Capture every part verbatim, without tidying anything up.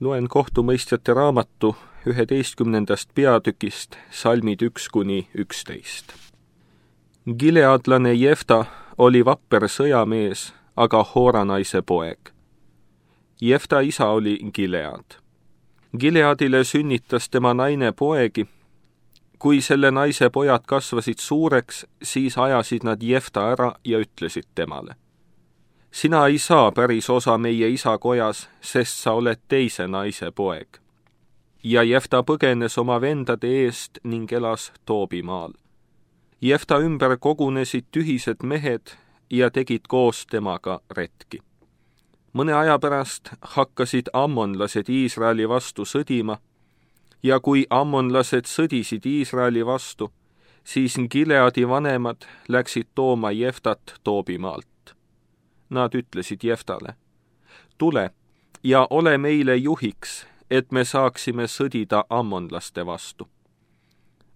Loen kohtumõistjate raamatu üheteistkümnendast peatükist salmid üks kuni üksteist. Gileadlane Jefta oli vapper sõjamees, aga Hooranaise poeg. Jefta isa oli Gilead. Gileadile sünnitas tema naine poegi. Kui selle naise pojad kasvasid suureks, siis ajasid nad Jefta ära ja ütlesid temale: sina ei saa päris osa meie isa kojas, sest sa oled teise naise poeg. Ja Jefta põgenes oma vendade eest ning elas Toobimaal. Jefta ümber kogunesid tühised mehed ja tegid koos temaga retki. Mõne aja pärast hakkasid ammonlased Iisraeli vastu sõdima, ja kui ammonlased sõdisid Iisraeli vastu, siis Gileadi vanemad läksid tooma Jeftat Toobimaalt. Nad ütlesid Jeftale: tule ja ole meile juhiks, et me saaksime sõdida ammonlaste vastu.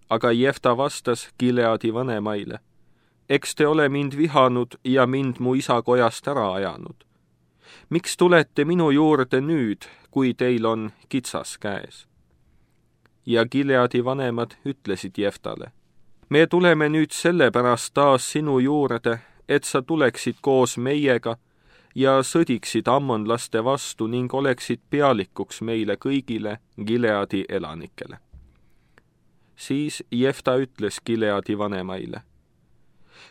Aga Jefta vastas Gileadi vanemaile: eks te ole mind vihanud ja mind mu isa kojast ära ajanud. Miks tulete minu juurde nüüd, kui teil on kitsas käes? Ja Gileadi vanemad ütlesid Jeftale: me tuleme nüüd sellepärast taas sinu juurde, et sa tuleksid koos meiega ja sõdiksid ammonlaste vastu ning oleksid pealikuks meile kõigile Gileadi elanikele. Siis Jefta ütles Gileadi vanemaile: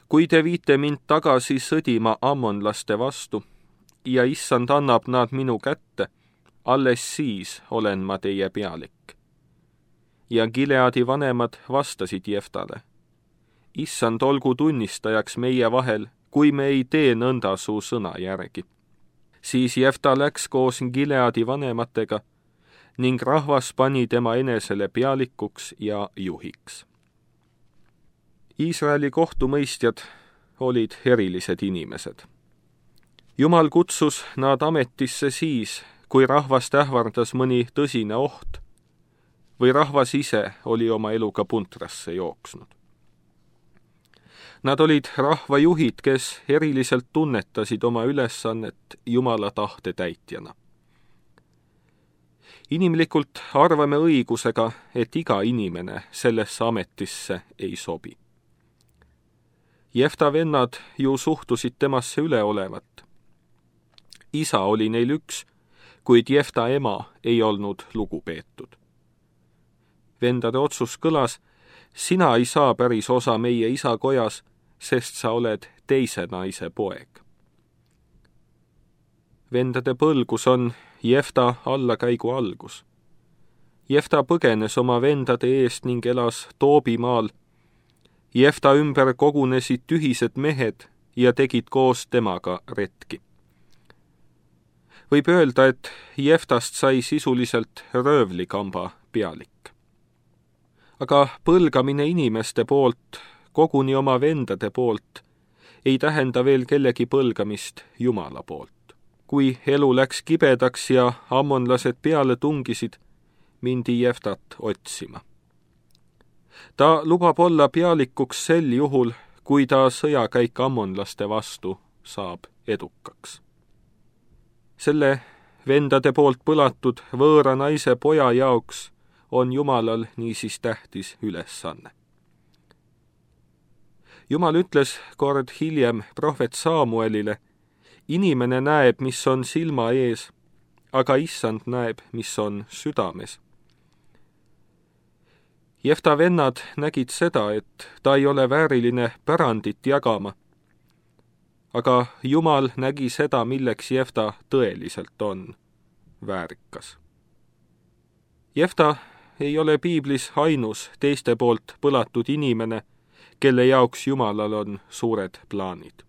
kui te viite mind tagasi sõdima ammonlaste vastu ja issand annab nad minu kätte, alles siis olen ma teie pealik. Ja Gileadi vanemad vastasid Jeftale: issand olgu tunnistajaks meie vahel, kui me ei tee nõnda su sõna järgi. Siis Jefta läks koos Gileadi vanematega ning rahvas pani tema enesele pealikuks ja juhiks. Iisraeli kohtumõistjad olid erilised inimesed. Jumal kutsus nad ametisse siis, kui rahvast ähvardas mõni tõsine oht või rahvas ise oli oma eluga puntrasse jooksnud. Nad olid rahvajuhid, kes eriliselt tunnetasid oma ülesannet Jumala tahte täitjana. Inimlikult arvame õigusega, et iga inimene sellesse ametisse ei sobi. Jefta vennad ju suhtusid temasse üleolevat. Isa oli neil üks, kuid Jefta ema ei olnud lugupeetud. Vendade otsus kõlas: sina ei saa päris osa meie isa kojas, sest sa oled teise naise poeg. Vendade põlgus on Jefta allakäigu algus. Jefta põgenes oma vendade eest ning elas Toobimaal. Jefta ümber kogunesid tühised mehed ja tegid koos temaga retki. Võib öelda, et Jeftast sai sisuliselt röövlikamba pealik. Aga põlgamine inimeste poolt, koguni oma vendade poolt, ei tähenda veel kellegi põlgamist Jumala poolt. Kui elu läks kibedaks ja ammonlased peale tungisid, mindi Jeftat otsima. Ta lubab olla pealikuks sel juhul, kui ta sõjakäik ammonlaste vastu saab edukaks. Selle vendade poolt põlatud võõra naise poja jaoks on Jumalal niisiis tähtis ülesanne. Jumal ütles kord hiljem prohvet Saamuelile: inimene näeb, mis on silma ees, aga issand näeb, mis on südames. Jefta vennad nägid seda, et ta ei ole vääriline pärandit jagama, aga Jumal nägi seda, milleks Jefta tõeliselt on väärikas. Jefta ei ole piiblis ainus teiste poolt põlatud inimene, kelle jaoks Jumalal on suured plaanid.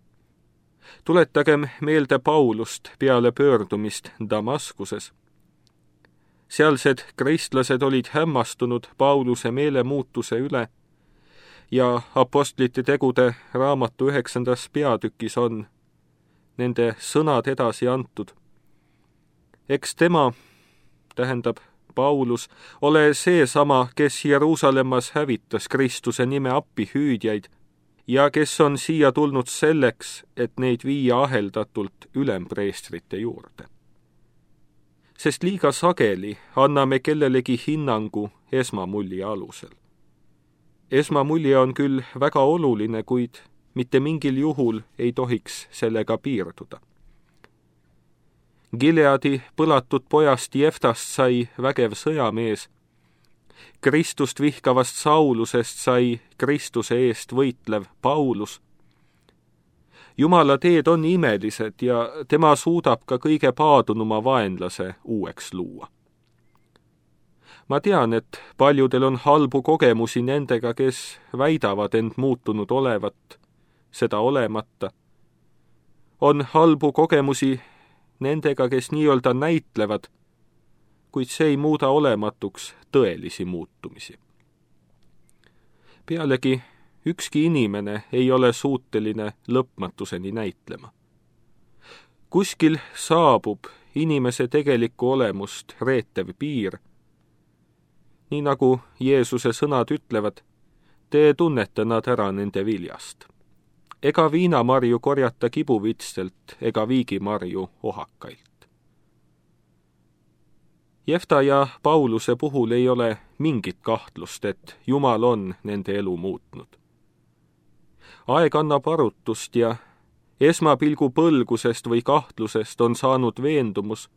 Tuletagem meelde Paulust peale pöördumist Damaskuses. Sealsed kristlased olid hämmastunud Pauluse meelemuutuse üle ja apostlite tegude raamatu üheksandas peatükis on nende sõnad edasi antud. Eks tema, tähendab Paulus, ole seesama, kes Jeruusalemmas hävitas Kristuse nime appihüüdjaid ja kes on siia tulnud selleks, et neid viia aheldatult ülempreestrite juurde. sest liiga sageli anname kellelegi hinnangu esmamulje alusel. Esmamulje on küll väga oluline, kuid mitte mingil juhul ei tohiks sellega piirduda. Gileadi põlatud pojast Jeftast sai vägev sõjamees, Kristust vihkavast Saulusest sai Kristuse eest võitlev Paulus. Jumala teed on imelised ja tema suudab ka kõige paadunuma vaenlase uueks luua. Ma tean, et paljudel on halbu kogemusi nendega, kes väidavad end muutunud olevat, seda olemata. On halbu kogemusi nendega, kes nii-öelda näitlevad, kuid see ei muuda olematuks tõelisi muutumisi. Pealegi ükski inimene ei ole suuteline lõpmatuseni näitlema. Kuskil saabub inimese tegelikku olemust reetev piir, nii nagu Jeesuse sõnad ütlevad, te tunnete nad ära nende viljast. Ega viinamarju korjata kibuvitstelt ega viigimarju ohakailt. Jefta ja Pauluse puhul ei ole mingit kahtlust, et Jumal on nende elu muutnud. Aeg annab arutust ja esmapilgu põlgusest või kahtlusest on saanud veendumus,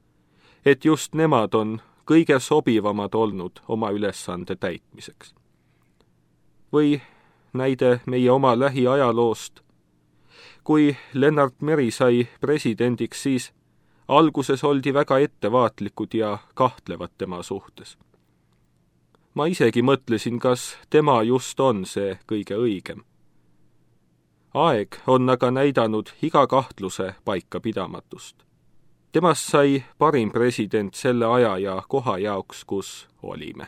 et just nemad on kõige sobivamad olnud oma ülesande täitmiseks. Või näide meie oma lähiajaloost. Kui Lennart Meri sai presidendiks, siis alguses oldi väga ettevaatlikud ja kahtlevad tema suhtes. Ma isegi mõtlesin, kas tema just on see kõige õigem. Aeg on aga näidanud iga kahtluse paikapidamatust. Temast sai parim president selle aja ja koha jaoks, kus olime.